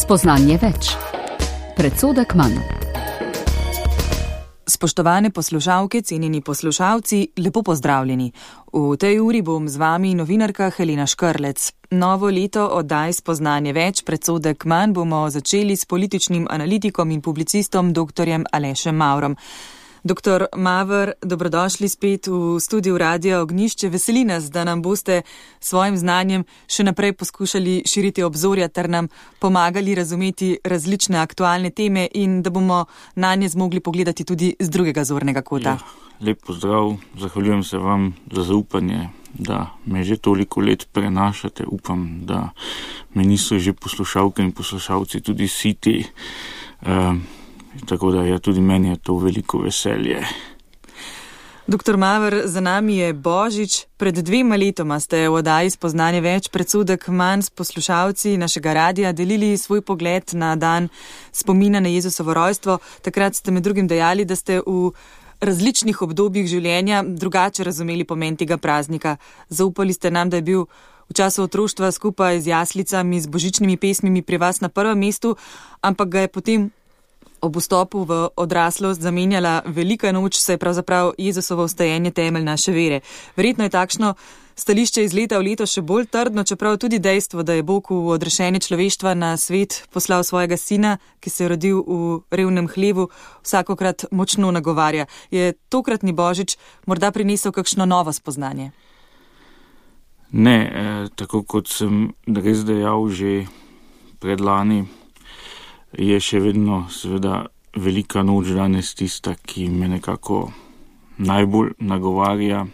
Spoznanje več. Predsodek manj. Spoštovane poslušalke, cenjeni poslušalci, lepo pozdravljeni. V tej uri bom z vami novinarka Helena Škrlec. Novo leto oddaj Spoznanje več, predsodek manj bomo začeli s političnim analitikom in publicistom dr. Alešem Mavrom. Doktor Maver, dobrodošli spet v studiu Radia Ognjišče. Veseli nas, da nam boste svojim znanjem še naprej poskušali širiti obzorja ter nam pomagali razumeti različne aktualne teme in da bomo na nje zmogli pogledati tudi z drugega zornega kota. Ja, lep pozdrav, zahvaljujem se vam za zaupanje, da me že toliko let prenašate. Upam, da me niso že poslušalke in poslušalci tudi siti. Tako da tudi meni je to veliko veselje. Doktor Maver, za nami je Božič. Pred 2 letoma ste v oddaji Spoznanje več, predsodek manj s poslušalci našega radia delili svoj pogled na dan spomina na Jezusovo rojstvo. Takrat ste med drugim dejali, da ste v različnih obdobjih življenja drugače razumeli pomen tega praznika. Zaupali ste nam, da je bil v času otroštva skupaj z jaslicami, z božičnimi pesmimi pri vas na prvem mestu, ampak ga je potem ob vstopu v odraslost zamenjala velika noč, saj je pravzaprav Jezusovo vstajenje temelj naše vere. Verjetno je takšno stališče iz leta v leto še bolj trdno, čeprav tudi dejstvo, da je Bog v odrešenje človeštva na svet poslal svojega sina, ki se je rodil v revnem hlevu, vsakokrat močno nagovarja. Je tokratni Božič morda prinesel kakšno novo spoznanje? Ne, tako kot sem res dejal že predlani, je še vedno seveda velika noč danes tista, ki me nekako najbolj nagovarja.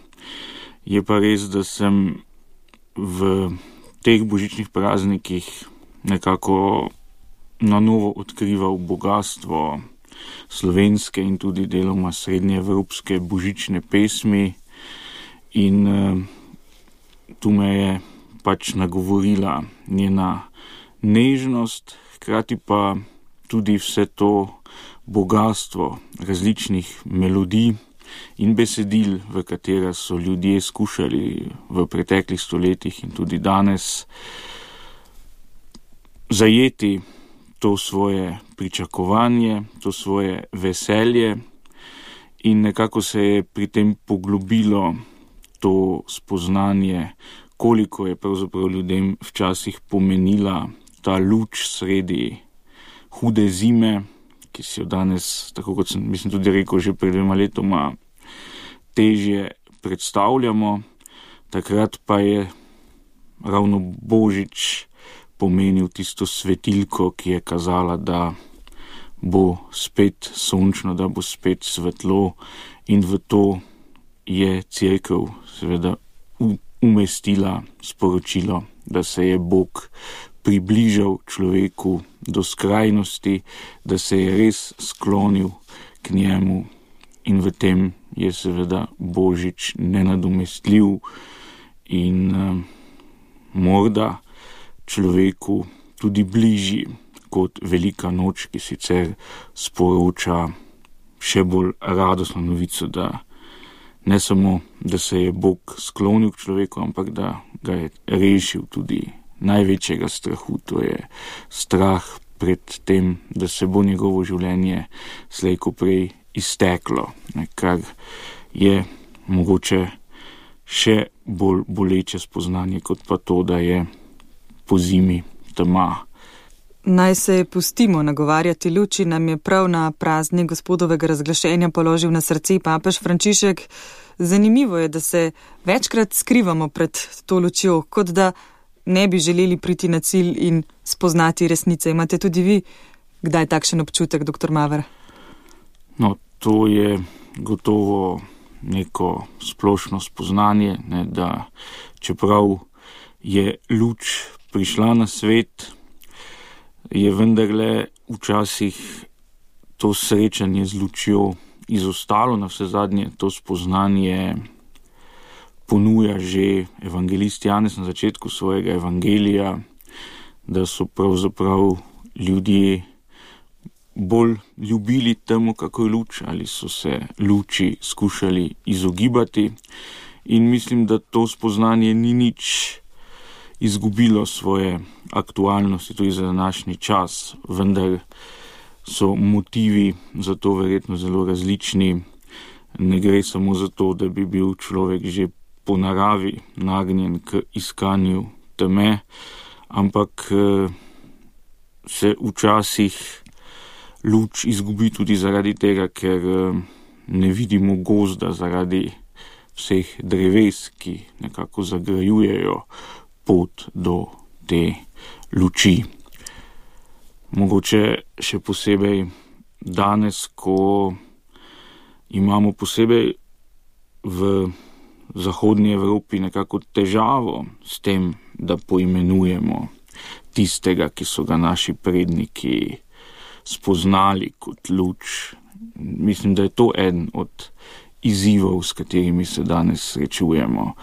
Je pa res, da sem v teh božičnih praznikih nekako na novo odkrival bogatstvo slovenske in tudi deloma srednjeevropske božične pesmi in tu me je pač nagovorila njena nežnost, hkrati pa tudi vse to bogatstvo različnih melodij in besedil, v katera so ljudje skušali v preteklih stoletjih in tudi danes zajeti to svoje pričakovanje, to svoje veselje in nekako se je pri tem poglobilo to spoznanje, koliko je pravzaprav ljudem včasih pomenila ta luč sredi hude zime, ki si jo danes, tako kot sem tudi rekel že pred 2 letoma, težje predstavljamo. Takrat pa je ravno Božič pomenil tisto svetilko, ki je kazala, da bo spet sončno, da bo spet svetlo in v to je Cerkev seveda umestila sporočilo, da se je Bog približal človeku do skrajnosti, da se je res sklonil k njemu in v tem je seveda Božič nenadomestljiv in morda človeku tudi bližji kot velika noč, ki sicer sporoča še bolj radostno novico, da ne samo, da se je Bog sklonil k človeku, ampak da ga je rešil tudi največjega strahu, to je strah pred tem, da se bo njegovo življenje slej ko prej izteklo, kar je mogoče še bolj boleče spoznanje, kot pa to, da je po zimi tema. Naj se pustimo nagovarjati luči, nam je prav na praznik Gospodovega razglašenja položil na srce papež Frančišek. Zanimivo je, da se večkrat skrivamo pred to lučjo, kot da ne bi želeli priti na cilj in spoznati resnice. Imate tudi vi kdaj takšen občutek, doktor Maver? No, to je gotovo neko splošno spoznanje, da čeprav je luč prišla na svet, je vendarle včasih to srečanje z lučjo izostalo. Na vse zadnje to spoznanje ponuja že evangelist Janez na začetku svojega evangelija, da so pravzaprav ljudje bolj ljubili temu, kako je luč, ali so se luči skušali izogibati. In mislim, da to spoznanje ni nič izgubilo svoje aktualnosti tudi za današnji čas, vendar so motivi za to verjetno zelo različni. Ne gre samo za to, da bi bil človek že po naravi nagnjen k iskanju teme, ampak se včasih luč izgubi tudi zaradi tega, ker ne vidimo gozda, zaradi vseh dreves, ki nekako zagrajujejo pot do te luči. Mogoče še posebej danes, ko imamo posebej v zahodnji Evropi nekako težavo s tem, da poimenujemo tistega, ki so ga naši predniki spoznali kot luč. Mislim, da je to eden od izzivov, s katerimi se danes srečujemo,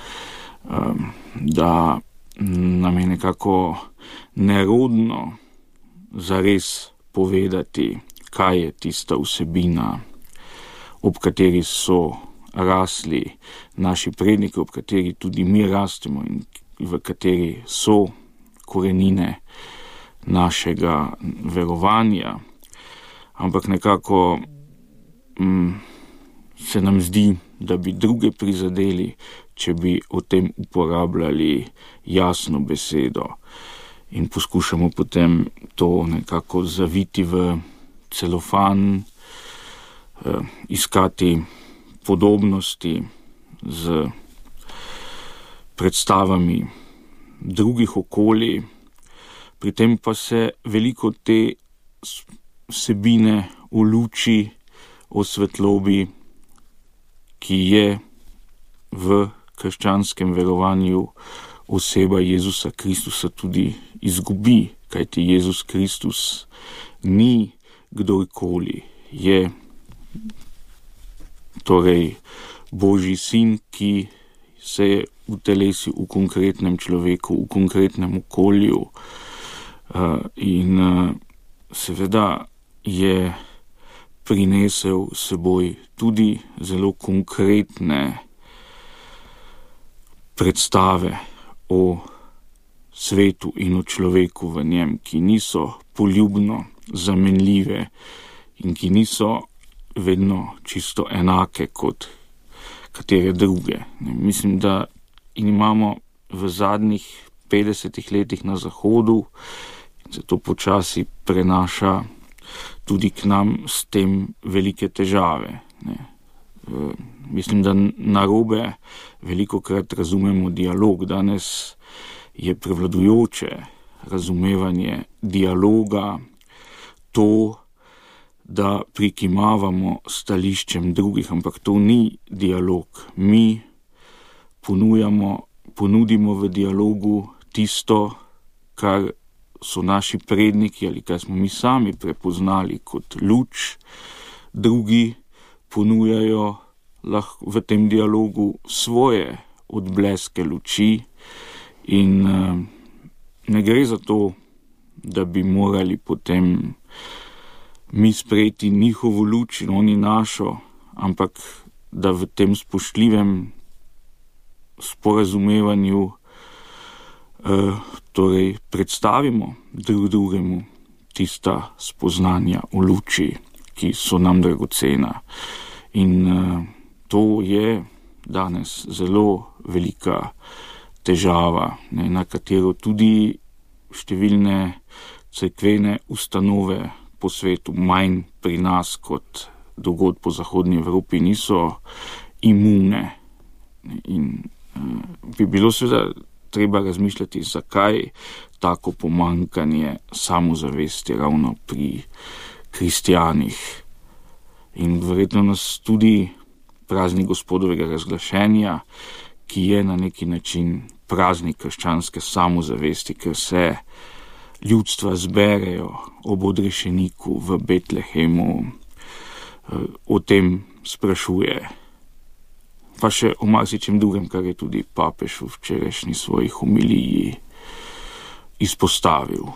da nam je nekako nerodno zares povedati, kaj je tista vsebina, ob kateri so rasli naši predniki, ob kateri tudi mi rastemo in v kateri so korenine našega verovanja. Ampak nekako se nam zdi, da bi druge prizadeli, če bi o tem uporabljali jasno besedo in poskušamo potem to nekako zaviti v celofan, iskati podobnosti z predstavami drugih okolij, pri tem pa se veliko te vsebine v luči, o svetlobi, ki je v krščanskem verovanju oseba Jezusa Kristusa, tudi izgubi, kajti Jezus Kristus ni kdorkoli, je torej Božji sin, ki se je utelesil v konkretnem človeku, v konkretnem okolju, in seveda je prinesel seboj tudi zelo konkretne predstave o svetu in o človeku v njem, ki niso poljubno zamenljive in ki niso vedno čisto enake kot katere druge. Mislim, da imamo v zadnjih 50 letih na Zahodu, in se to počasi prenaša tudi k nam, s tem velike težave. Mislim, da narobe velikokrat razumemo dialog. Danes je prevladujoče razumevanje dialoga to, da prikimavamo stališčem drugih, ampak to ni dialog. Mi ponudimo v dialogu tisto, kar so naši predniki ali kar smo mi sami prepoznali kot luč, drugi ponujajo lahko v tem dialogu svoje odbleske luči in ne gre za to, da bi morali potem mi sprejeti njihovo luč in oni našo, ampak da v tem spoštljivem sporazumevanju torej predstavimo drugemu tista spoznanja v luči, ki so nam dragocena. In to je danes zelo velika težava, na katero tudi številne cerkvene ustanove po svetu, manj pri nas kot drugod po zahodni Evropi, niso imune. In bi bilo seveda treba razmišljati, zakaj tako pomanjkanje samozavesti ravno pri kristjanih. In verjetno nas tudi praznik Gospodovega razglašenja, ki je na neki način praznik krščanske samozavesti, ker se ljudstva zberejo ob odrešeniku v Betlehemu, o tem sprašuje. Pa še o marsičem drugem, kar je tudi papež v včerajšnji svoji homiliji izpostavil.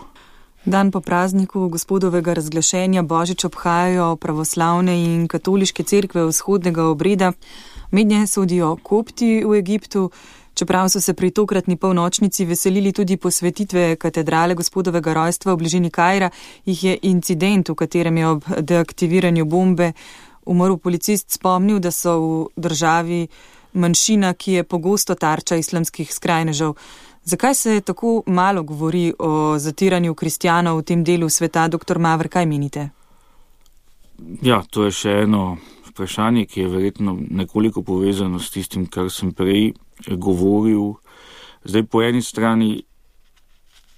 Dan po prazniku Gospodovega razglašenja Božič obhajajo pravoslavne in katoliške cerkve vzhodnega obreda. Mednje sodijo kopti v Egiptu, Čeprav so se pri tokratni polnočnici veselili tudi posvetitve katedrale Gospodovega rojstva v bližini Kaira, jih je incident, v katerem je ob deaktiviranju bombe umrl policist, spomnil, da so v državi manjšina, ki je pogosto tarča islamskih skrajnežev. Zakaj se tako malo govori o zatiranju kristjanov v tem delu sveta? Dr. Maver, kaj menite? Ja, to je še eno vprašanje, ki je verjetno nekoliko povezano s tistim, kar sem prej govoril. Zdaj, po eni strani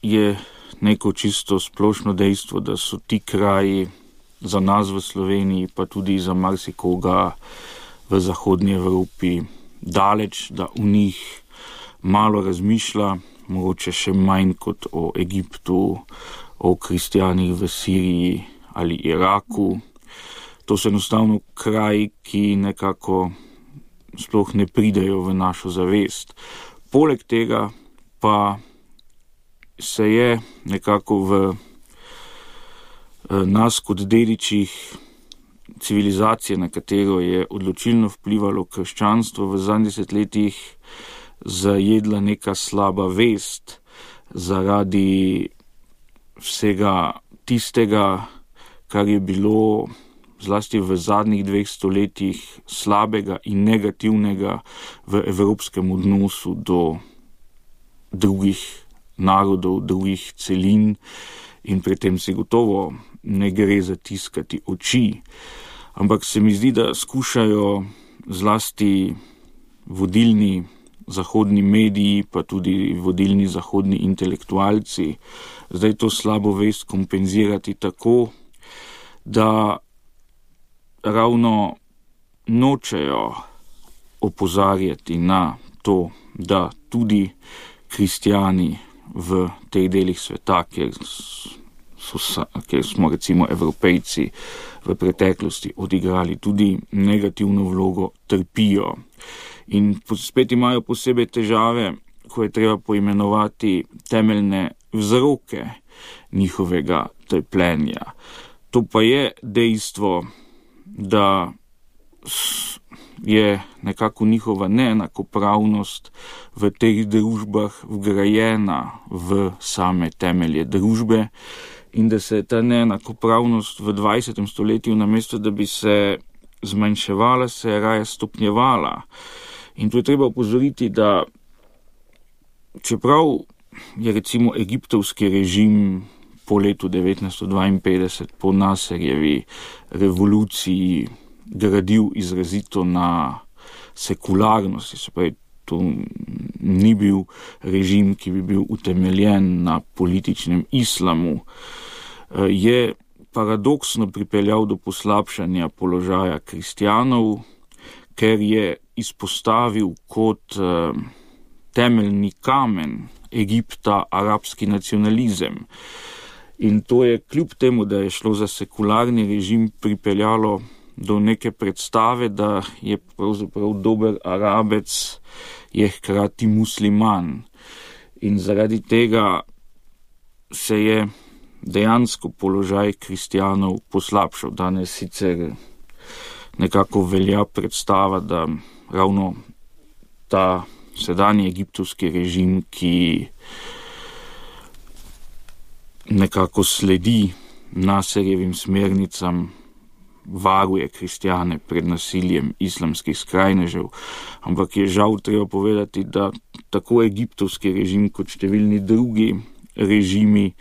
je neko čisto splošno dejstvo, da so ti kraji za nas v Sloveniji, pa tudi za marsikoga v zahodnji Evropi daleč, da v njih malo razmišlja, mogoče še manj kot o Egiptu, o kristjanih v Siriji ali Iraku. To so enostavno kraji, ki nekako sploh ne pridejo v našo zavest. Poleg tega pa se je nekako v nas kot dedičih civilizacije, na katero je odločilno vplivalo krščanstvo, v zadnjih desetletjih zajedla neka slaba vest zaradi vsega tistega, kar je bilo zlasti v zadnjih 2 stoletjih slabega in negativnega v evropskem odnosu do drugih narodov, drugih celin, in pri tem se gotovo ne gre zatiskati oči. Ampak se mi zdi, da skušajo zlasti vodilni zahodni mediji, pa tudi vodilni zahodni intelektualci, zdaj to slabo vest kompenzirati tako, da ravno nočejo opozarjati na to, da tudi kristjani v teh delih sveta, kjer smo recimo Evropejci v preteklosti odigrali tudi negativno vlogo, trpijo. In spet imajo posebej težave, ko je treba poimenovati temeljne vzroke njihovega trpljenja. To pa je dejstvo, da je nekako njihova neenakopravnost v teh družbah vgrajena v same temelje družbe in da se ta neenakopravnost v 20. stoletju, namesto da bi se zmanjševala, se je raje stopnjevala. In tu je treba opozoriti, da čeprav je recimo egiptovski režim po letu 1952, po Nasserjevi revoluciji, gradil izrazito na sekularnosti, se pravi, to ni bil režim, ki bi bil utemeljen na političnem islamu, je paradoksno pripeljal do poslabšanja položaja kristjanov, ker je izpostavil kot temeljni kamen Egipta arabski nacionalizem. In to je kljub temu, da je šlo za sekularni režim, pripeljalo do neke predstave, da je pravzaprav dober Arabec je hkrati musliman. In zaradi tega se je dejansko položaj kristjanov poslabšal. Danes sicer nekako velja predstava, da ravno ta sedanji egiptovski režim, ki nekako sledi Nasserjevim smernicam, varuje kristjane pred nasiljem islamskih skrajnežev, ampak je žal treba povedati, da tako egiptovski režim kot številni drugi režimi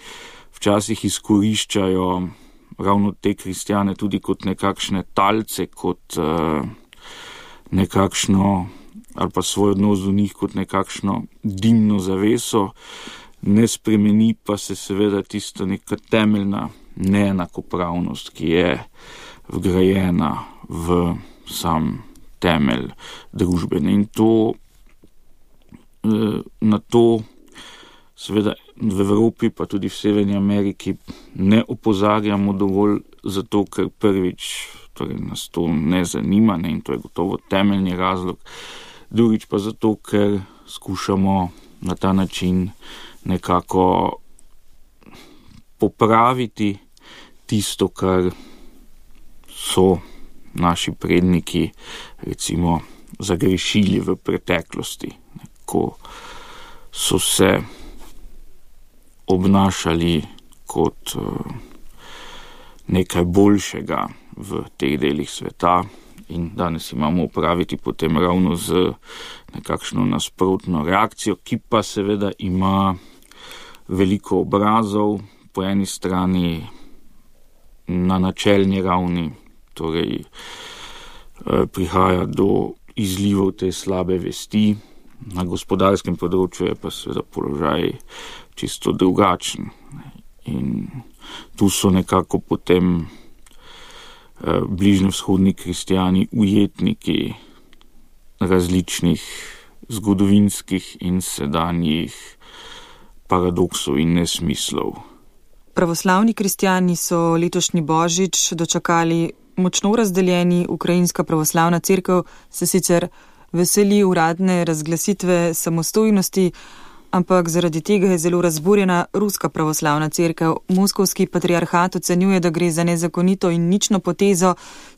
včasih izkoriščajo ravno te kristjane tudi kot nekakšne talce, kot nekakšno, ali pa svoj odnos do njih kot nekakšno dimno zaveso, ne spremeni pa se seveda tista neka temeljna neenakopravnost, ki je vgrajena v sam temelj družbene. In to na to seveda v Evropi, pa tudi v Severni Ameriki ne opozarjamo dovolj, zato ker prvič torej nas to ne zanima, ne, in to je gotovo temeljni razlog. Drugič pa zato, ker skušamo na ta način nekako popraviti tisto, kar so naši predniki recimo zagrešili v preteklosti. ko so se obnašali kot nekaj boljšega v teh delih sveta in danes imamo opraviti potem ravno z nekakšno nasprotno reakcijo, ki pa seveda ima veliko obrazov, po eni strani na načelni ravni, torej prihaja do izlivov te slabe vesti, na gospodarskem področju je pa seveda položaj čisto drugačen. In tu so nekako potem bližnjevzhodni kristjani ujetniki različnih zgodovinskih in sedanjih paradoksov in nesmislov. Pravoslavni kristjani so letošnji Božič dočakali močno razdeljeni. Ukrajinska pravoslavna cerkev se sicer veseli uradne razglasitve samostojnosti, ampak zaradi tega je zelo razburjena ruska pravoslavna cerkev. Moskovski patriarhat ocenjuje, da gre za nezakonito in nično potezo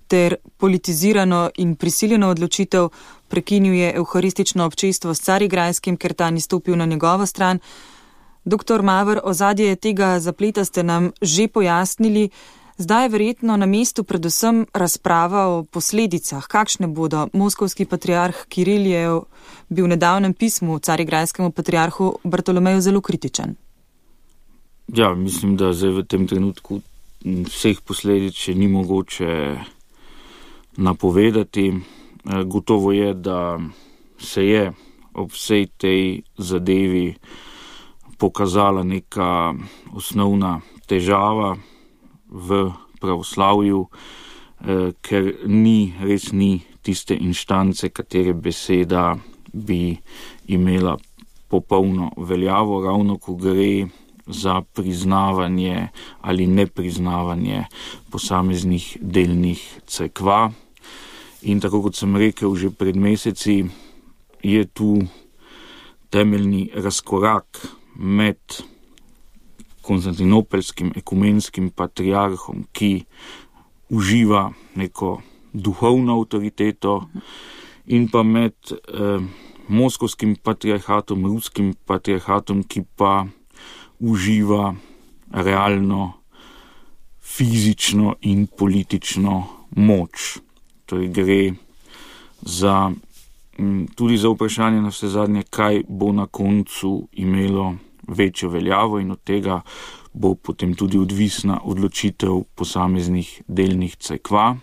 ter politizirano in prisiljeno odločitev. Prekinil je evharistično občestvo s Carigrajskim, ker ta ni stopil na njegovo stran. Doktor Maver, ozadje tega zapleta ste nam že pojasnili. Zdaj je verjetno na mestu predvsem razprava o posledicah. Kakšne bodo? Moskovski patriarh Kiril je bil v nedavnem pismu carigrajskemu patriarhu Bartolomeju zelo kritičen. Ja, mislim, da zdaj v tem trenutku vseh posledic še ni mogoče napovedati. Gotovo je, da se je ob vsej tej zadevi pokazala neka osnovna težava v pravoslavju, ker res ni tiste inštance, katere beseda bi imela popolno veljavo, ravno ko gre za priznavanje ali nepriznavanje posameznih delnih cerkva. In tako kot sem rekel že pred meseci, je tu temeljni razkorak med konstantinopelskim ekumenskim patriarhom, ki uživa neko duhovno avtoriteto, in pa med moskovskim patriarhatom, ruskim patriarhatom, ki pa uživa realno fizično in politično moč. Torej gre tudi za vprašanje na vse zadnje, kaj bo na koncu imelo večjo veljavo, in od tega bo potem tudi odvisna odločitev posameznih delnih cerkva.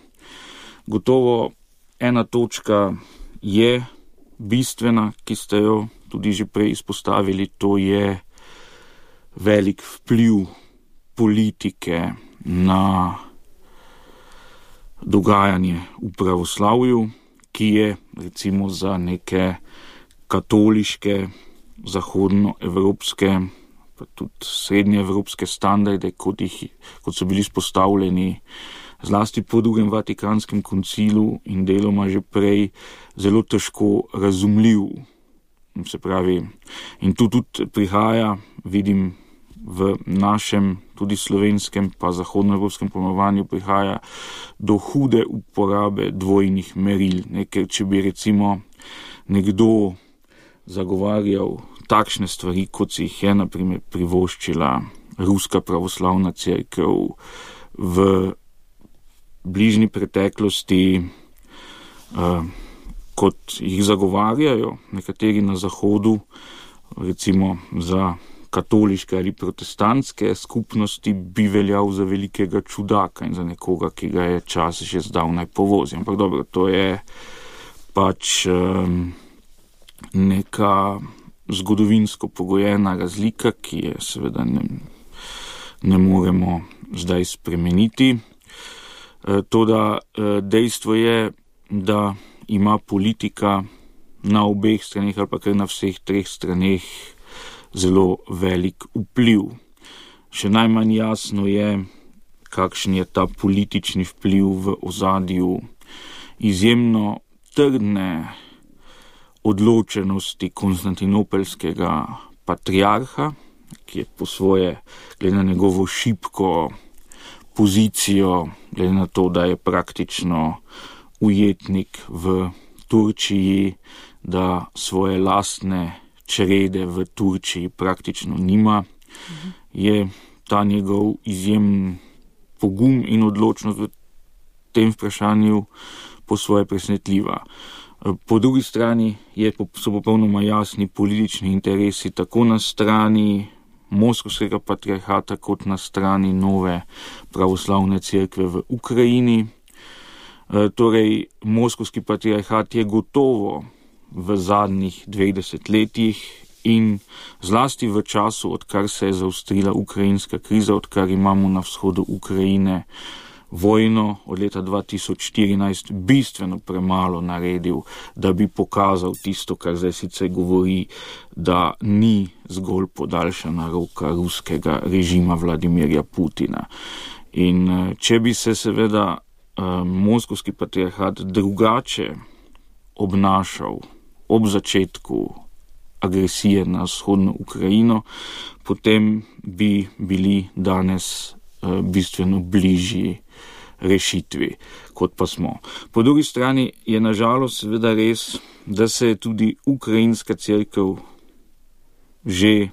Gotovo ena točka je bistvena, ki ste jo tudi že prej izpostavili, to je velik vpliv politike na dogajanje v pravoslavju, ki je recimo za neke katoliške, zahodnoevropske, pa tudi srednjeevropske standarde, kot so bili spostavljeni zlasti po drugem Vatikanskem koncilu in deloma že prej, zelo težko razumljiv. Se pravi, in tu tudi prihaja, vidim, v našem, tudi slovenskem, pa zahodnoevropskem pojmovanju prihaja do hude uporabe dvojnih meril. Ker če bi recimo nekdo zagovarjal takšne stvari, kot si jih je na primer privoščila ruska pravoslavna cerkev v bližnji preteklosti, kot jih zagovarjajo nekateri na zahodu, recimo za katoliške ali protestantske skupnosti, bi veljal za velikega čudaka in za nekoga, ki ga je čas že zdavnaj povozil. Ampak dobro, to je pač neka zgodovinsko pogojena razlika, ki je seveda ne moremo zdaj spremeniti. Toda dejstvo je, da ima politika na obeh straneh ali pa kar na vseh treh straneh zelo velik vpliv. Še najmanj jasno je, kakšen je ta politični vpliv v ozadju izjemno trdne odločenosti konstantinopelskega patriarha, ki je po svoje, glede na njegovo šibko pozicijo, glede na to, da je praktično ujetnik v Turčiji, da svoje lastne črede v Turčiji praktično nima, je ta njegov izjemen pogum in odločnost v tem vprašanju po svoje presenetljiva. Po drugi strani so popolnoma jasni politični interesi tako na strani Moskovskega patriarhata kot na strani nove pravoslavne cerkve v Ukrajini. Torej, Moskovski patriarhat je gotovo v zadnjih 20 letih in zlasti v času, odkar se je zaostrila ukrajinska kriza, odkar imamo na vzhodu Ukrajine vojno od leta 2014, bistveno premalo naredil, da bi pokazal tisto, kar zdaj sicer govori, da ni zgolj podaljšana roka ruskega režima Vladimirja Putina. In če bi se seveda Moskovski patriarhat drugače obnašal ob začetku agresije na vzhodno Ukrajino, potem bi bili danes bistveno bližji rešitvi, kot pa smo. Po drugi strani je nažalost seveda res, da se je tudi ukrajinska cerkev že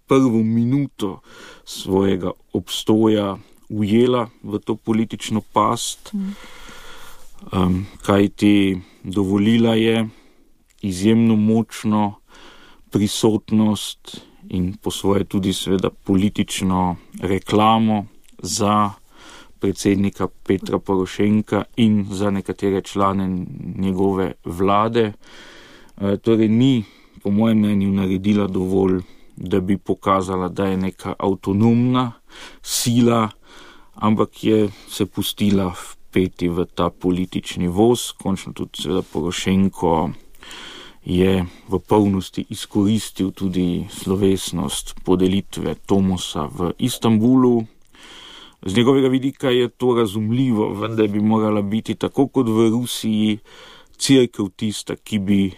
prvo minuto svojega obstoja ujela v to politično past, kajti dovolila je izjemno močno prisotnost in po svoje tudi seveda politično reklamo za predsednika Petra Porošenka in za nekatere člane njegove vlade. Torej ni, po mojem mnenju, naredila dovolj, da bi pokazala, da je neka avtonomna sila, ampak je se pustila vpeti v ta politični voz. Končno tudi seveda Porošenko je v polnosti izkoristil tudi slovesnost podelitve Tomosa v Istanbulu. Z njegovega vidika je to razumljivo, vendar bi morala biti tako kot v Rusiji cerkev tista, ki bi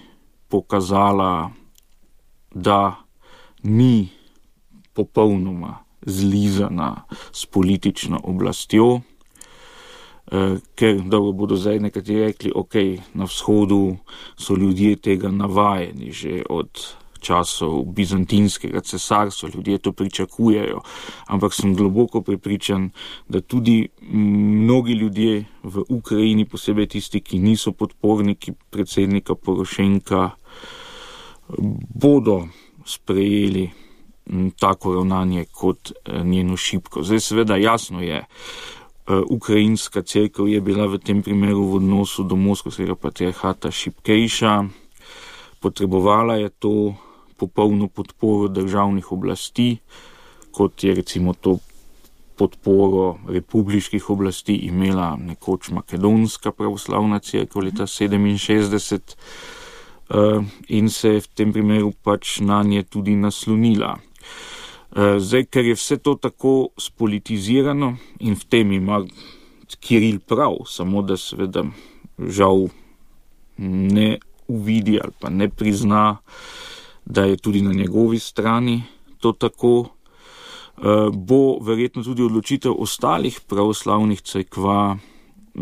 pokazala, da ni popolnoma zlizana s politično oblastjo, ker dobro bodo zdaj nekateri rekli, ok, na vzhodu so ljudje tega navajeni že od časov bizantinskega cesarstva, ljudje to pričakujejo, ampak sem globoko prepričan, da tudi mnogi ljudje v Ukrajini, posebej tisti, ki niso podporniki predsednika Porošenka, bodo sprejeli tako ravnanje kot njeno šibko. Zdaj seveda jasno je, ukrajinska cerkev je bila v tem primeru v odnosu do Moskovskega patriarhata šibkejša, potrebovala je to popolno podporo državnih oblasti, kot je recimo to podporo republiških oblasti imela nekoč Makedonska pravoslavna cerkev leta 1967 in se je v tem primeru pač na nje tudi naslonila. Zdaj, ker je vse to tako spolitizirano in v tem ima Kiril prav, samo da seveda žal ne uvidi ali pa ne prizna, da je tudi na njegovi strani to tako, bo verjetno tudi odločitev ostalih pravoslavnih cerkva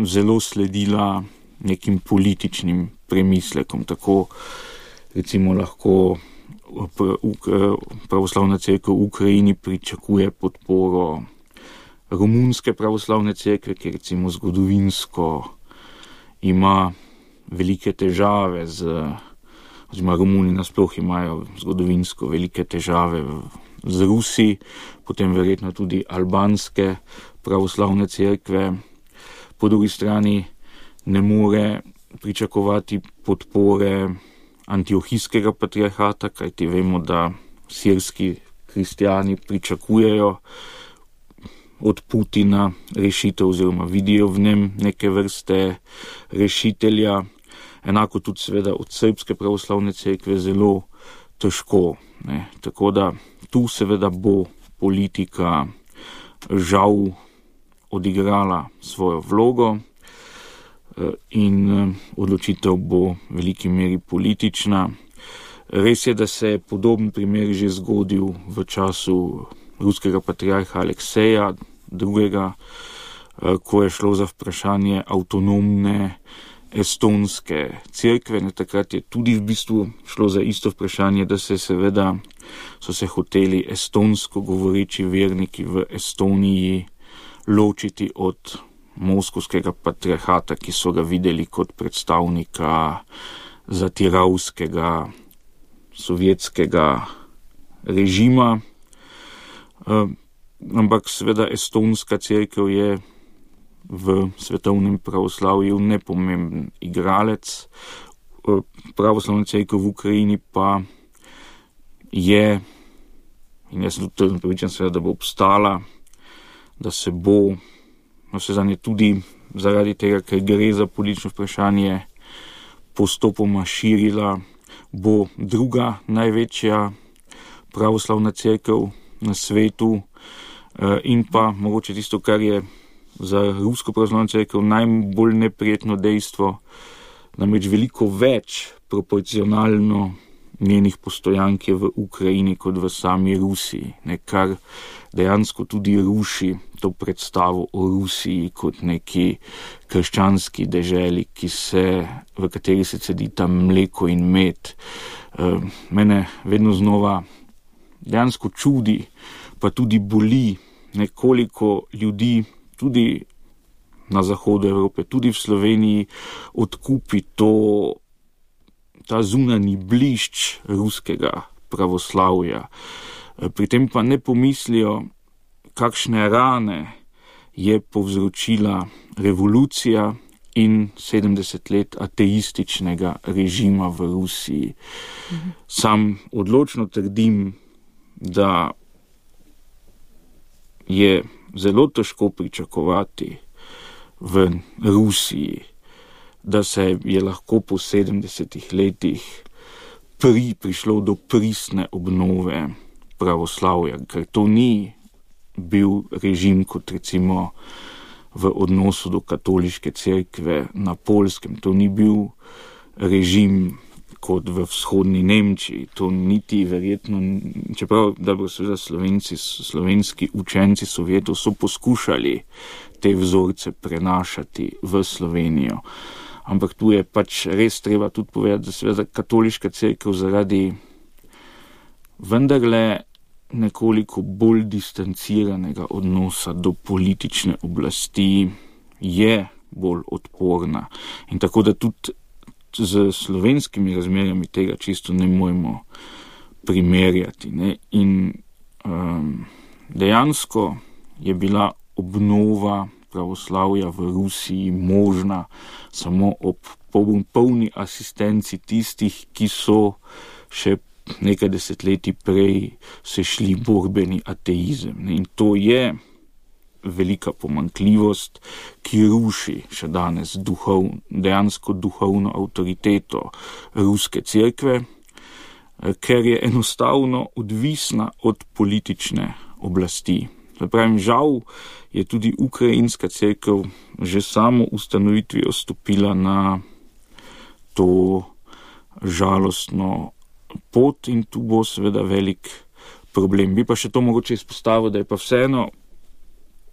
zelo sledila nekim političnim premislekom. Tako recimo lahko pravoslavna cerkev v Ukrajini pričakuje podporo romunske pravoslavne cerkve, ki recimo zgodovinsko ima velike težave oziroma Romuni nasploh imajo zgodovinsko velike težave z Rusi, potem verjetno tudi albanske pravoslavne cerkve. Po drugi strani ne more pričakovati podpore antiohijskega patriarhata, kajti vemo, da sirski kristjani pričakujejo od Putina rešitev oziroma vidijo v njem neke vrste rešitelja. Enako tudi seveda od srbske pravoslavne cerkve zelo težko. Tako da tu seveda bo politika žal odigrala svojo vlogo in odločitev bo v veliki meri politična. Res je, da se je podoben primer že zgodil v času ruskega patriarha Alekseja II., ko je šlo za vprašanje avtonomne estonske cerkve. Takrat je tudi v bistvu šlo za isto vprašanje, da so se hoteli estonsko govoreči verniki v Estoniji ločiti od moskovskega patriarhata, ki so ga videli kot predstavnika zatiravskega sovjetskega režima. Ampak seveda estonska cerkev je v svetovnem pravoslavju nepomemben igralec. Pravoslavna cerkev v Ukrajini pa je, in jaz sem tudi prepričan seveda, da bo obstala, da se bo vsezadnje tudi zaradi tega, ker gre za politično vprašanje, postopoma širila, bo druga največja pravoslavna cerkev na svetu in pa mogoče tisto, kar je za rusko pravoslavno cerkev najbolj neprijetno dejstvo, namreč veliko več proporcionalno njenih postojank je v Ukrajini kot v sami Rusiji, kar dejansko tudi ruši to predstavo o Rusiji kot neki krščanski deželi, v kateri se cedita mleko in med. Mene vedno znova dejansko čudi, pa tudi boli, nekoliko ljudi, tudi na zahodu Evrope, tudi v Sloveniji, odkupi ta zunanji blišč ruskega pravoslavja. Pri tem pa ne pomislijo, kakšne rane je povzročila revolucija in 70 let ateističnega režima v Rusiji. Sam odločno trdim, da je zelo težko pričakovati v Rusiji, da se je lahko po 70 letih prišlo do pristne obnove pravoslavja, ker to ni bil režim kot recimo v odnosu do katoliške cerkve na Poljskem, to ni bil režim kot v vzhodni Nemčiji, to niti verjetno, čeprav dobro seveda slovenski učenci Sovjetov so poskušali te vzorce prenašati v Slovenijo. Ampak tu je pač res treba tudi povedati, da seveda katoliška cerkev zaradi vendarle nekoliko bolj distanciranega odnosa do politične oblasti je bolj odporna. In tako da tudi z slovenskimi razmerami tega čisto ne moremo primerjati. In dejansko je bila obnova pravoslavja v Rusiji možna samo ob polni asistenci tistih, ki so še nekaj desetletij prej se šli borbeni ateizem. In to je velika pomanjkljivost, ki ruši še danes dejansko duhovno avtoriteto ruske cerkve, ker je enostavno odvisna od politične oblasti. Pravim, žal je tudi ukrajinska cerkev že samo ustanovitvijo stopila na to žalostno pot in tu bo seveda velik problem. Bi pa še to mogoče izpostavil, da je pa vseeno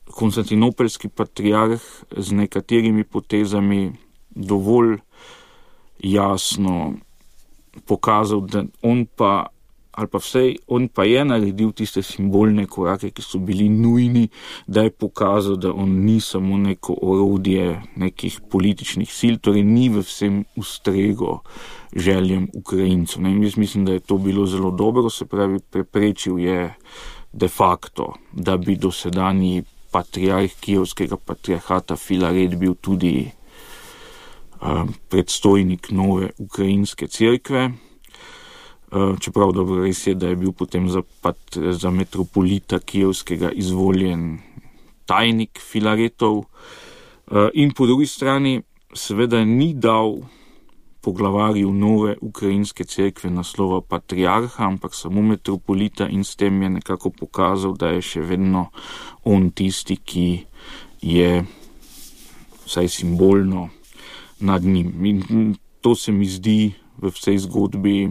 konstantinopeljski patriarh z nekaterimi potezami dovolj jasno pokazal, da on pa je naredil tiste simbolne korake, ki so bili nujni, da je pokazal, da on ni samo neko orodje nekih političnih sil, torej ni v vsem ustregel željem Ukrajincev. In jaz mislim, da je to bilo zelo dobro, se pravi, preprečil je de facto, da bi dosedanji patriarh kijevskega patriarhata Filaret bil tudi predstojnik nove ukrajinske cerkve. Čeprav dobro res je, da je bil potem za metropolita kijevskega izvoljen tajnik Filaretov. In po drugi strani seveda ni dal poglavarju nove ukrajinske cerkve naslova patriarha, ampak samo metropolita in s tem je nekako pokazal, da je še vedno on tisti, ki je vsaj simbolno nad njim. In to se mi zdi v vsej zgodbi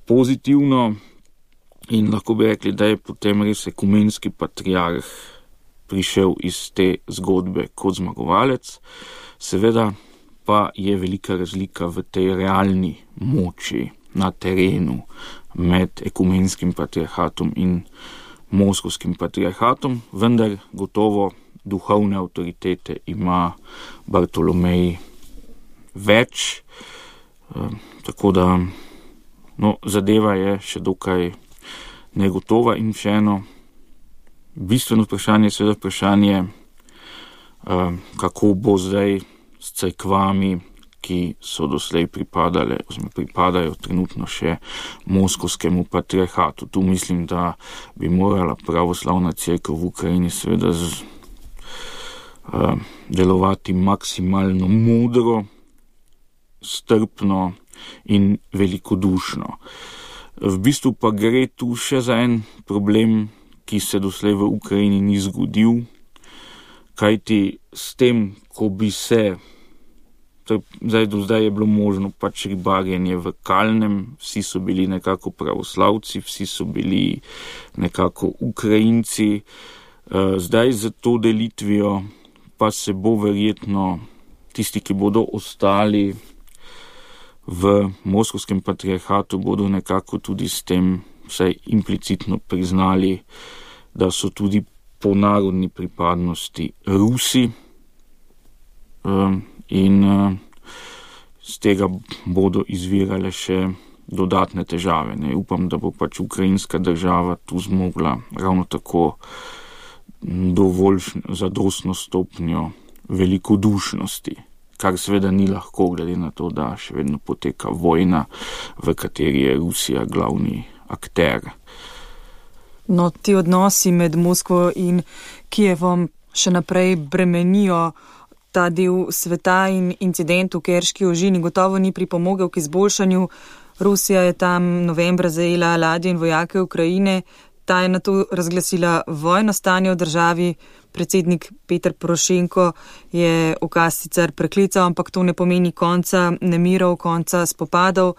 pozitivno in lahko bi rekli, da je potem res ekumenski patriarh prišel iz te zgodbe kot zmagovalec. Seveda pa je velika razlika v tej realni moči na terenu med ekumenskim patriarhatom in moskovskim patriarhatom, vendar gotovo duhovne avtoritete ima Bartolomej več, tako da zadeva je še dokaj negotova in še eno bistveno vprašanje, seveda vprašanje, kako bo zdaj s cerkvami, ki so doslej pripadajo trenutno še moskovskemu patriarhatu. Tu mislim, da bi morala pravoslavna cerkev v Ukrajini seveda delovati maksimalno modro, strpno in velikodušno. V bistvu pa gre tu še za en problem, ki se doslej v Ukrajini ni zgodil, kajti s tem, ko bi se do zdaj je bilo možno pač ribarjenje v kalnem, vsi so bili nekako pravoslavci, vsi so bili nekako Ukrajinci. Zdaj za to delitvijo pa se bo verjetno tisti, ki bodo ostali v moskovskem patriarhatu, bodo nekako tudi s tem vsaj implicitno priznali, da so tudi po narodni pripadnosti Rusi, in z tega bodo izvirale še dodatne težave. Upam, da bo pač ukrajinska država tu zmogla ravno tako dovolj zadostno stopnjo velikodušnosti, kar seveda ni lahko, glede na to, da še vedno poteka vojna, v kateri je Rusija glavni akter. No, ti odnosi med Moskvo in Kijevom še naprej bremenijo ta del sveta in incident v Kerški ožini gotovo ni pripomogel k izboljšanju. Rusija je tam novembra zajela ladje in vojake Ukrajine, ta je nato razglasila vojno stanje v državi. Predsednik Petr Porošenko je ukaz sicer preklical, ampak to ne pomeni konca nemirov, konca spopadov.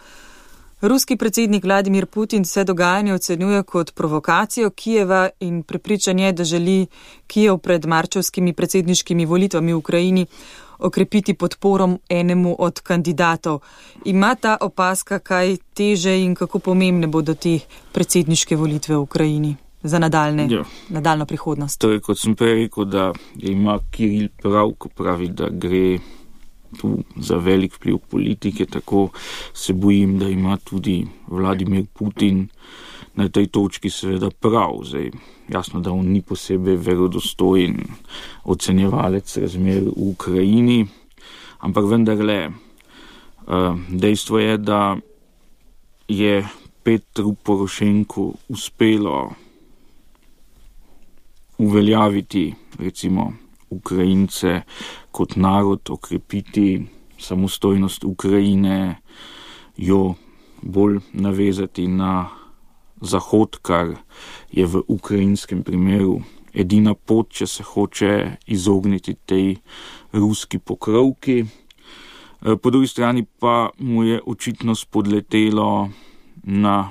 Ruski predsednik Vladimir Putin vse dogajanje ocenjuje kot provokacijo Kijeva in prepričan je, da želi Kijev pred marčevskimi predsedniškimi volitvami v Ukrajini okrepiti podporo enemu od kandidatov. Ima ta opazka kaj teže in kako pomembne bodo te predsedniške volitve v Ukrajini za nadaljno prihodnost? Torej, kot sem prej rekel, da ima Kiril prav, ko pravi, da gre tu za velik vpliv politike, tako se bojim, da ima tudi Vladimir Putin na tej točki seveda prav. Zdaj, jasno, da on ni posebej verodostojen ocenjevalec razmer v Ukrajini, ampak vendarle dejstvo je, da je Petru Porošenku uspelo uveljaviti, recimo, Ukrajince kot narod, okrepiti samostojnost Ukrajine, jo bolj navezati na Zahod, kar je v ukrajinskem primeru edina pot, če se hoče izogniti tej ruski pokrovki. Po drugi strani pa mu je očitno spodletelo na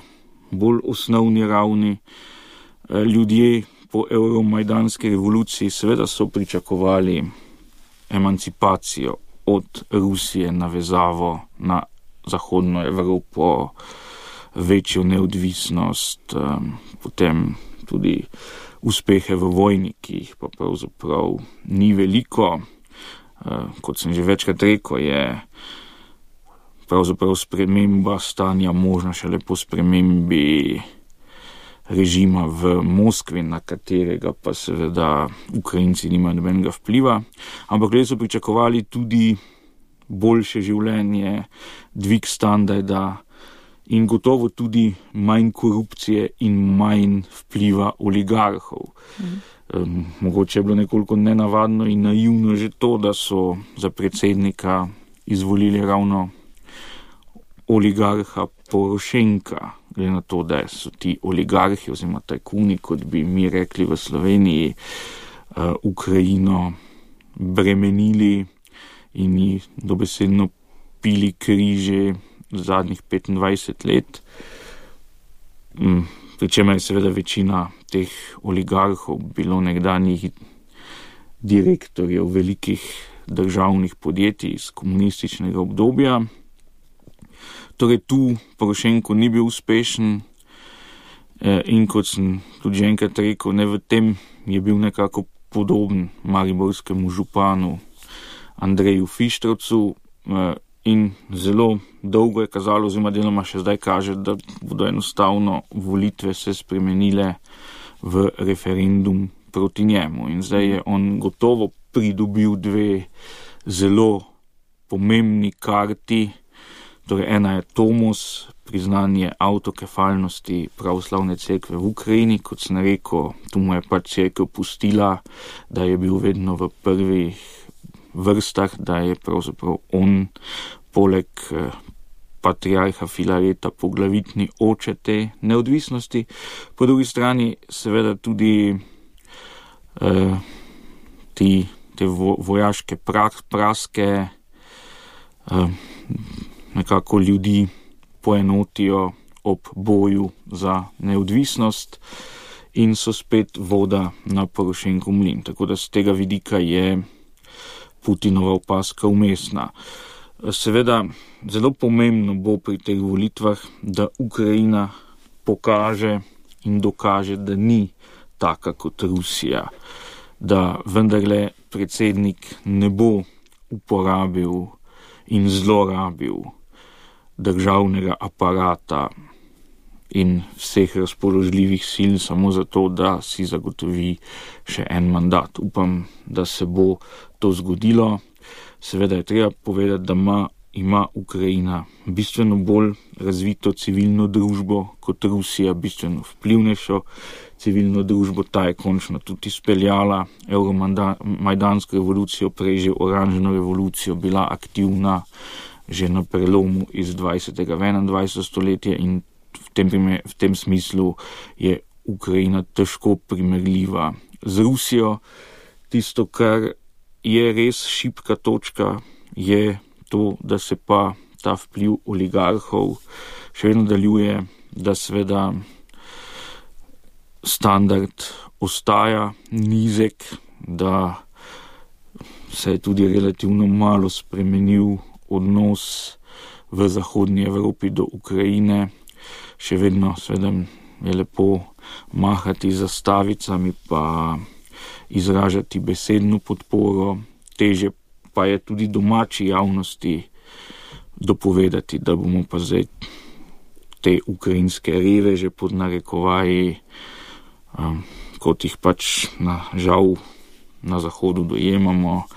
bolj osnovni ravni. Ljudje po euromajdanski revoluciji seveda so pričakovali emancipacijo od Rusije, navezavo na Zahodno Evropo, večjo neodvisnost, potem tudi uspehe v vojni, ki jih pa pravzaprav ni veliko. Kot sem že večkrat rekel, je pravzaprav sprememba stanja možna šele po spremembi režima v Moskvi, na katerega pa seveda Ukrajinci nimajo nobenega vpliva, ampak ljudje so pričakovali tudi boljše življenje, dvig standarda in gotovo tudi manj korupcije in manj vpliva oligarhov. Mogoče je bilo nekoliko nenavadno in naivno že to, da so za predsednika izvolili ravno oligarha Porošenka, glede na to, da so ti oligarhi oziroma tajkuni, kot bi mi rekli v Sloveniji, Ukrajino bremenili in ji dobesedno pili križe zadnjih 25 let. Pričemer je seveda večina teh oligarhov bilo nekdanjih direktorjev velikih državnih podjetij iz komunističnega obdobja. Torej tu Porošenko ni bil uspešen in kot sem tudi že enkrat rekel, ne, v tem je bil nekako podoben mariborskemu županu Andreju Fištravcu in zelo dolgo je kazalo, oziroma deloma še zdaj kaže, da bodo enostavno volitve se spremenile v referendum proti njemu. In zdaj je on gotovo pridobil dve zelo pomembni karti. Torej ena je Tomos, priznanje avtokefalnosti pravoslavne cerkve v Ukrajini, kot sem rekel, tu mu je pač cerkev pustila, da je bil vedno v prvih vrstah, da je pravzaprav on poleg patriarha Filareta poglavitni oče te neodvisnosti. Po drugi strani seveda tudi te vojaške praske nekako ljudi poenotijo ob boju za neodvisnost in so spet voda na Porošenkov mlin. Tako da z tega vidika je Putinova opaska umestna. Seveda zelo pomembno bo pri teh volitvah, da Ukrajina pokaže in dokaže, da ni taka kot Rusija, da vendarle predsednik ne bo uporabil in zlorabil državnega aparata in vseh razpoložljivih sil samo zato, da si zagotovi še en mandat. Upam, da se bo to zgodilo. Seveda je treba povedati, da ima Ukrajina bistveno bolj razvito civilno družbo kot Rusija, bistveno vplivnejšo civilno družbo. Ta je končno tudi izpeljala euromajdansko revolucijo, prej že oranžno revolucijo, bila aktivna že na prelomu iz 20. v 21. stoletje in v tem smislu je Ukrajina težko primerljiva z Rusijo. Tisto, kar je res šibka točka, je to, da se pa ta vpliv oligarhov še vedno nadaljuje, da seveda standard ostaja nizek, da se je tudi relativno malo spremenil odnos v zahodnji Evropi do Ukrajine. Še vedno seveda je lepo mahati zastavicami pa izražati besedno podporo, teže pa je tudi domači javnosti dopovedati, da bomo pa zdaj te ukrajinske reveže pod narekovaji, kot jih pač žal na zahodu dojemamo,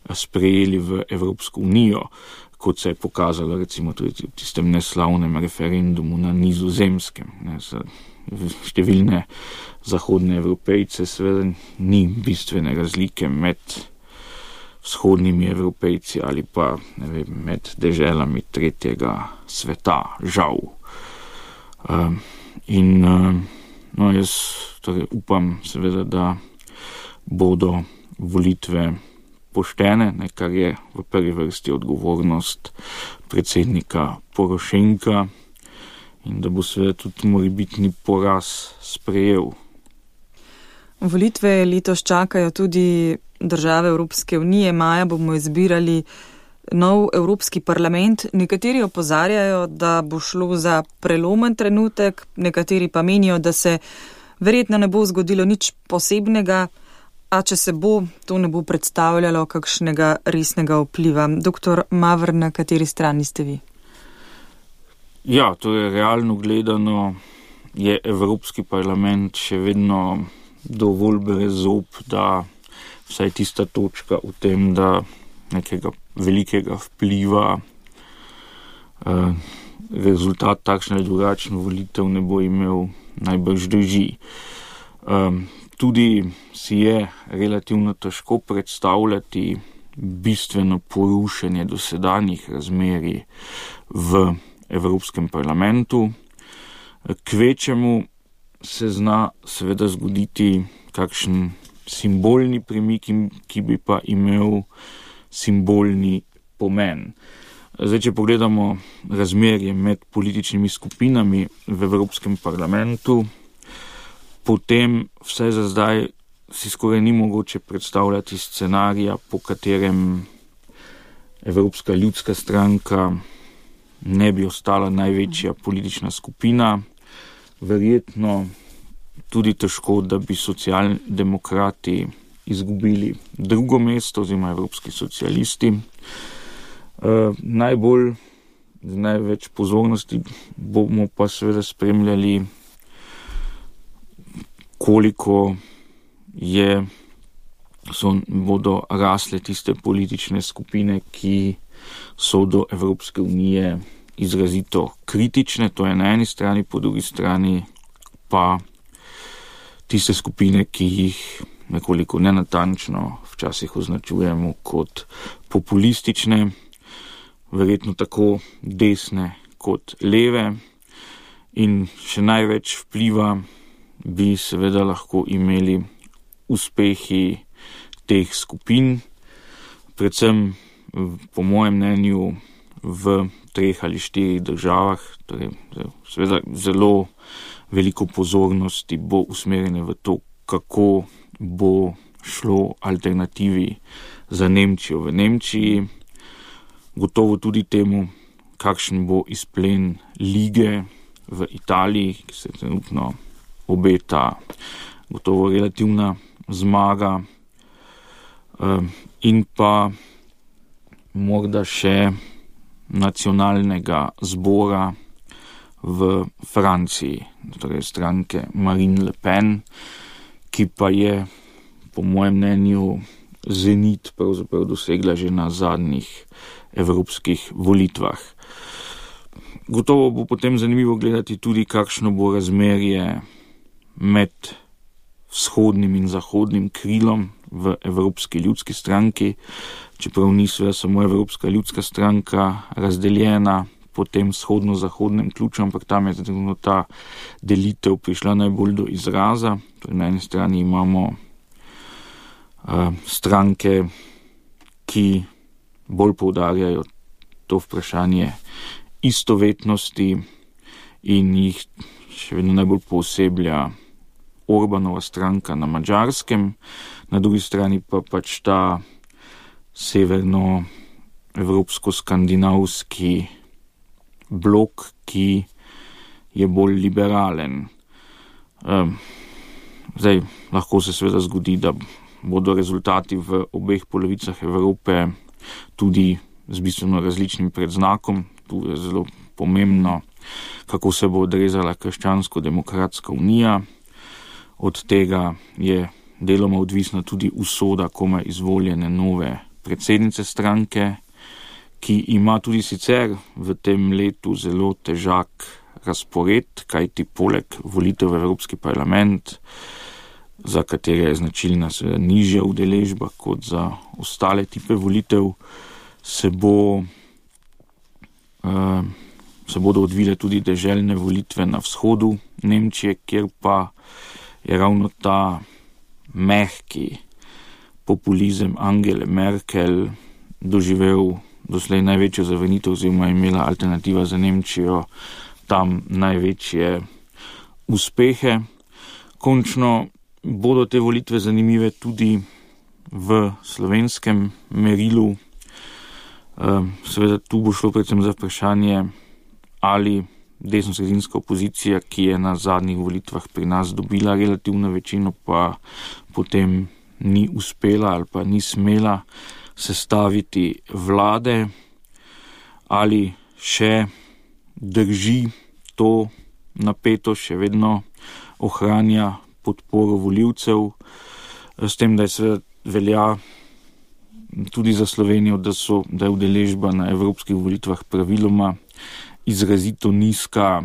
sprejeli v Evropsko unijo, kot se je pokazalo recimo tudi v tistem neslavnem referendumu na Nizozemskem. Številne zahodne Evropejce seveda ni bistvene razlike med vzhodnimi Evropejci ali pa med deželami tretjega sveta, žal. Jaz torej upam seveda, da bodo volitve poštene, kar je v prvi vrsti odgovornost predsednika Porošenka in da bo seveda tudi morebitni poraz sprejel. Volitve letos čakajo tudi države Evropske unije. Maja bomo izbirali nov Evropski parlament. Nekateri opozarjajo, da bo šlo za prelomen trenutek, nekateri pa menijo, da se verjetno ne bo zgodilo nič posebnega, a če se bo, to ne bo predstavljalo kakšnega resnega vpliva. Doktor Maver, na kateri strani ste vi? Ja, to je realno gledano, je Evropski parlament še vedno dovolj brezob, da vsaj tista točka v tem, da nekega velikega vpliva rezultat takšne ali drugačne volitev ne bo imel, najbrž drži. Tudi si je relativno težko predstavljati bistveno porušenje dosedanjih razmerij v Evropskem parlamentu. Kvečemu se zna seveda zgoditi kakšen simbolni premik, ki bi pa imel simbolni pomen. Zdaj, če pogledamo razmerje med političnimi skupinami v Evropskem parlamentu, potem vse za zdaj si skoraj ni mogoče predstavljati scenarija, po katerem Evropska ljudska stranka ne bi ostala največja politična skupina. Verjetno tudi težko, da bi socialdemokrati izgubili drugo mesto, oziroma evropski socialisti. Največ pozornosti bomo pa seveda spremljali, koliko bodo rasle tiste politične skupine, ki so do Evropske unije izrazito kritične, to je na eni strani, po drugi strani pa tiste skupine, ki jih nekoliko nenatančno včasih označujemo kot populistične, verjetno tako desne kot leve, in še največ vpliva bi seveda lahko imeli uspehi teh skupin, predvsem po mojem mnenju v 3 ali 4 državah, torej seveda zelo veliko pozornosti bo usmerjene v to, kako bo šlo alternativi za Nemčijo v Nemčiji, gotovo tudi temu, kakšen bo izplen lige v Italiji, ki se trenutno obeta gotovo relativna zmaga, in pa morda še nacionalnega zbora v Franciji, torej stranke Marine Le Pen, ki pa je po mojem mnenju zenit pravzaprav dosegla že na zadnjih evropskih volitvah. Gotovo bo potem zanimivo gledati tudi, kakšno bo razmerje med vzhodnim in zahodnim krilom v Evropski ljudski stranki, čeprav ni seveda samo Evropska ljudska stranka razdeljena po tem vzhodno-zahodnem ključu, ampak tam je trenutno ta delitev prišla najbolj do izraza. Torej, na eni strani imamo stranke, ki bolj poudarjajo to vprašanje istovetnosti in jih še vedno najbolj pooseblja Orbanova stranka na Madžarskem, na drugi strani pa pač ta severnoevropsko-skandinavski blok, ki je bolj liberalen. Lahko se seveda zgodi, da bodo rezultati v obeh polovicah Evrope tudi z bistveno različnim predznakom. Tu je zelo pomembno, kako se bo odrezala Krščansko-demokratska unija. Od tega je deloma odvisna tudi usoda komaj izvoljene nove predsednice stranke, ki ima tudi sicer v tem letu zelo težak razpored, kajti poleg volitev v Evropski parlament, za katere je značilna seveda nižja udeležba kot za ostale tipe volitev, se bodo odvile tudi deželne volitve na vzhodu Nemčije, kjer pa je ravno ta mehki populizem Angele Merkel doživel doslej največjo zavrnitev, oziroma imela alternativa za Nemčijo tam največje uspehe. Končno bodo te volitve zanimive tudi v slovenskem merilu. Seveda tu bo šlo predvsem za vprašanje, ali desnosredinska opozicija, ki je na zadnjih volitvah pri nas dobila relativno večino, pa potem ni uspela ali pa ni smela sestaviti vlade, ali še drži to napeto, še vedno ohranja podporo volivcev, s tem, da je seveda velja tudi za Slovenijo, da je udeležba na evropskih volitvah praviloma izrazito nizka,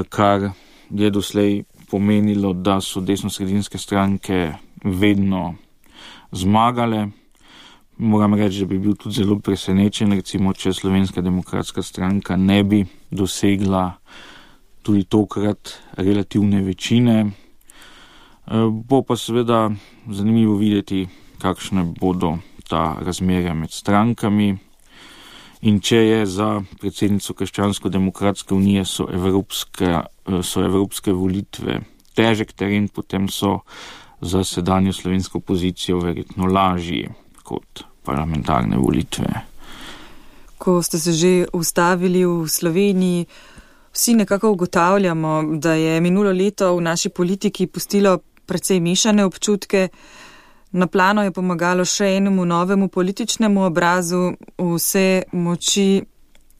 kar je doslej pomenilo, da so desnosredinske stranke vedno zmagale. Moram reči, da bi bil tudi zelo presenečen, recimo, če Slovenska demokratska stranka ne bi dosegla tudi tokrat relativne večine. Bo pa seveda zanimivo videti, kakšne bodo ta razmerja med strankami. In če je za predsednico Krščansko-demokratske unije so evropske volitve težek teren, potem so za sedanjo slovensko pozicijo verjetno lažji kot parlamentarne volitve. Ko ste se že ustavili v Sloveniji, vsi nekako ugotavljamo, da je minulo leto v naši politiki pustilo precej mešane občutke. Na plano je pomagalo še enemu novemu političnemu obrazu, vse moči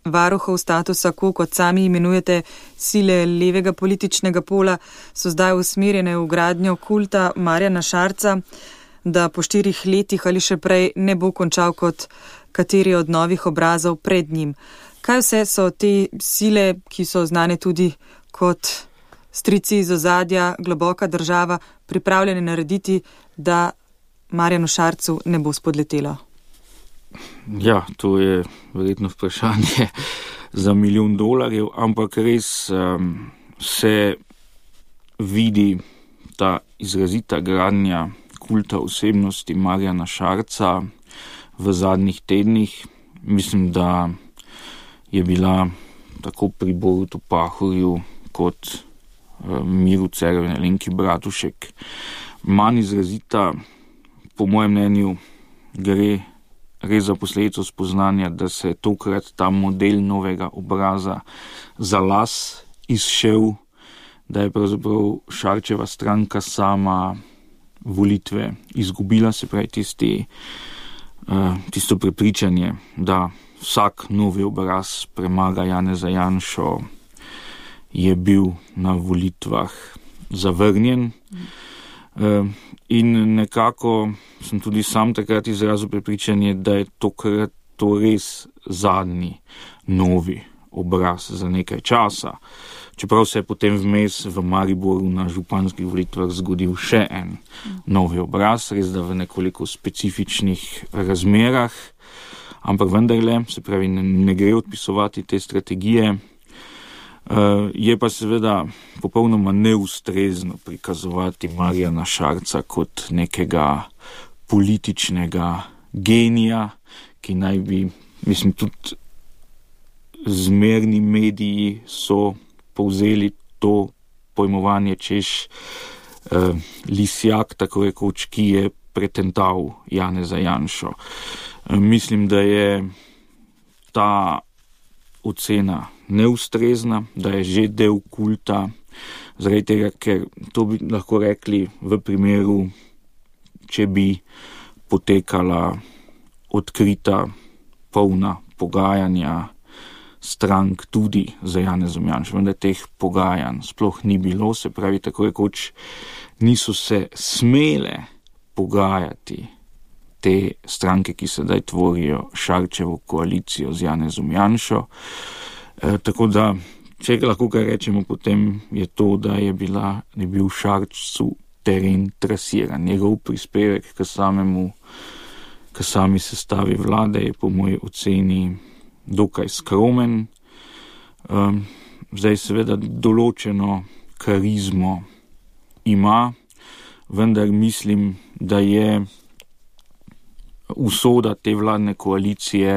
varuhov statusa quo, kot sami imenujete, sile levega političnega pola, so zdaj usmerjene v gradnjo kulta Marjana Šarca, da po 4 letih ali še prej ne bo končal kot kateri od novih obrazov pred njim. Kaj vse so te sile, ki so znane tudi kot strici iz ozadja, globoka država, pripravljene narediti, da Marjanu Šarcu ne bo spodletelo? Ja, to je verjetno vprašanje za $1 milijon, ampak res se vidi ta izrazita gradnja kulta osebnosti Marjana Šarca v zadnjih tednih. Mislim, da je bila tako pri Borutu Pahorju kot Miru Cerarju in Alenki Bratušek manj izrazita. Po mojem mnenju gre res za posledico spoznanja, da se je tokrat ta model novega obraza za las izšel, da je pravzaprav Šarčeva stranka sama volitve izgubila, se pravi tisto prepričanje, da vsak novi obraz premaga Janeza Janšo, je bil na volitvah zavrnjen. In nekako sem tudi sam takrat izrazil prepričanje, da je tokrat to res zadnji novi obraz za nekaj časa. Čeprav se je potem vmes v Mariboru na županskih volitvah zgodil še en novi obraz, res da v nekoliko specifičnih razmerah, ampak vendarle, se pravi, ne gre odpisovati te strategije. Je pa seveda popolnoma neustrezno prikazovati Marjana Šarca kot nekega političnega genija, ki naj bi, mislim, tudi zmerni mediji so povzeli to pojmovanje, češ lisjak, tako rekoč, ki je pretental Janeza Janšo. Mislim, da je ta ocena neustrezna, da je že del kulta, zaradi tega, ker to bi lahko rekli v primeru, če bi potekala odkrita, polna pogajanja strank tudi za Janezom Janšo, vendar teh pogajanj sploh ni bilo, se pravi, tako rekoč niso se smele pogajati te stranke, ki sedaj tvorijo Šarčevo koalicijo z Janezom Janšo. Tako da, če lahko kaj rečemo, potem je to, da je bil Šarcu teren trasiran. Njegov prispevek k sami sestavi vlade je po moji oceni dokaj skromen. Zdaj seveda določeno karizmo ima, vendar mislim, da je usoda te vladne koalicije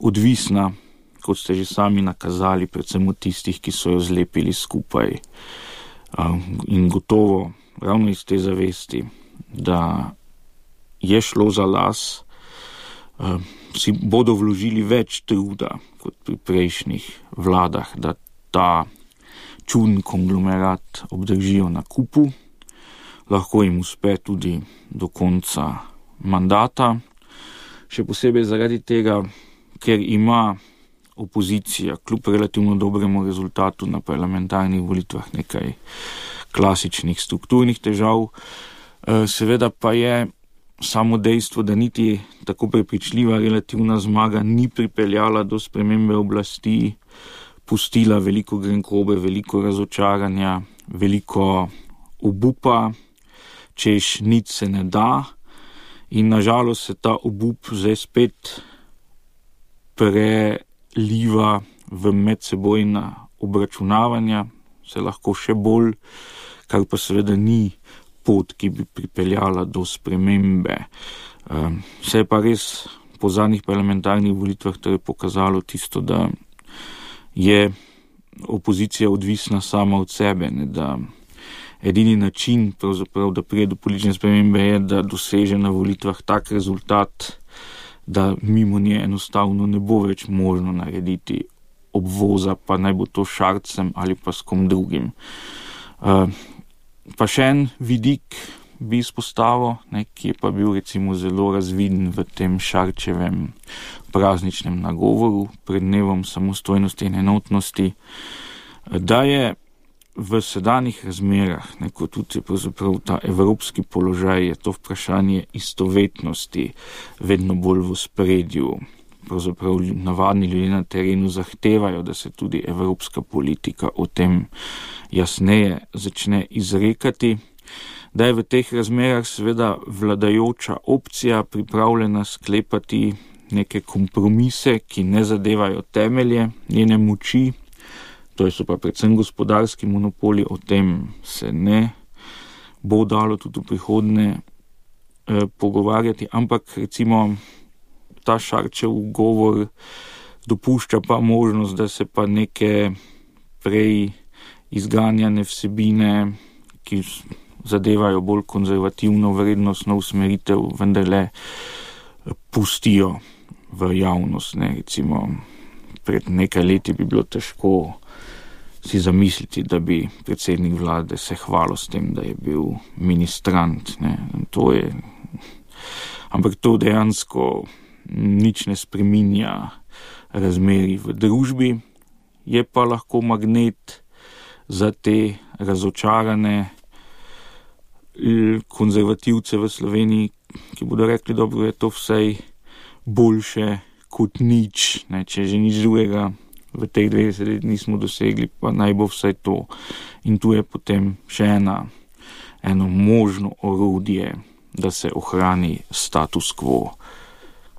odvisna, kot ste že sami nakazali, predvsem od tistih, ki so jo zlepili skupaj. In gotovo, ravno iz te zavesti, da je šlo za las, si bodo vložili več truda kot pri prejšnjih vladah, da ta čuden konglomerat obdržijo na kupu. Lahko jim uspe tudi do konca mandata, še posebej zaradi tega, ker ima opozicija kljub relativno dobremu rezultatu na parlamentarnih volitvah nekaj klasičnih strukturnih težav. Seveda pa je samo dejstvo, da niti tako prepričljiva relativna zmaga ni pripeljala do spremembe oblasti, pustila veliko grenkobe, veliko razočaranja, veliko obupa, češ nič se ne da. In nažalost se ta obup zdaj spet preliva v medsebojna obračunavanja, se lahko še bolj, kar pa seveda ni pot, ki bi pripeljala do spremembe. Se je pa res po zadnjih parlamentarnih volitvah torej pokazalo tisto, da je opozicija odvisna sama od sebe, ne, da edini način, pravzaprav, da pride do politične spremembe, je, da doseže na volitvah tak rezultat, da mimo nje enostavno ne bo več možno narediti obvoza, pa naj bo to Šarcem ali pa s kom drugim. Pa še en vidik bi izpostavil, ki je pa bil recimo zelo razviden v tem Šarčevem prazničnem nagovoru pred dnevom samostojnosti in enotnosti, da je v sedanjih razmerah, kot tudi pravzaprav ta evropski položaj, je to vprašanje istovetnosti vedno bolj v ospredju. Pravzaprav navadni ljudje na terenu zahtevajo, da se tudi evropska politika o tem jasneje začne izrekati, da je v teh razmerah seveda vladajoča opcija pripravljena sklepati neke kompromise, ki ne zadevajo temelje njene moči, to so pa predvsem gospodarski monopoli, o tem se ne bo dalo tudi v prihodnje pogovarjati, ampak recimo ta Šarčev govor dopušča pa možnost, da se pa neke prej izganjane vsebine, ki zadevajo bolj konzervativno vrednostno usmeritev, vendarle pustijo v javnost. Recimo pred nekaj leti bi bilo težko si zamisliti, da bi predsednik vlade se hvalil s tem, da je bil ministrant. Ampak to dejansko nič ne spreminja razmerij v družbi, je pa lahko magnet za te razočarane konzervativce v Sloveniji, ki bodo rekli, dobro, je to vsej boljše kot nič, če že nič drugega v teh 20 let nismo dosegli, pa naj bo vsaj to. In tu je potem še eno možno orodje, da se ohrani status quo.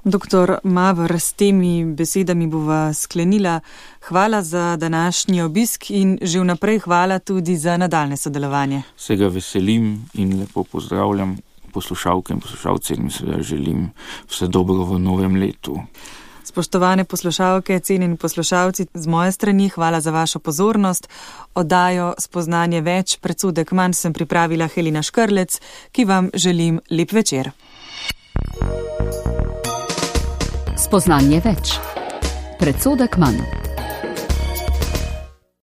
Doktor Maver, s temi besedami bova sklenila. Hvala za današnji obisk in že vnaprej hvala tudi za nadaljne sodelovanje. Se ga veselim in lepo pozdravljam poslušalke in poslušalce in seveda želim vse dobro v novem letu. Spoštovane poslušalke, cenjeni poslušalci, z moje strani hvala za vašo pozornost. Oddajo Spoznanje več, predsodek manj sem pripravila Helena Škrlec, ki vam želim lep večer. Spoznanje več, predsodek manj.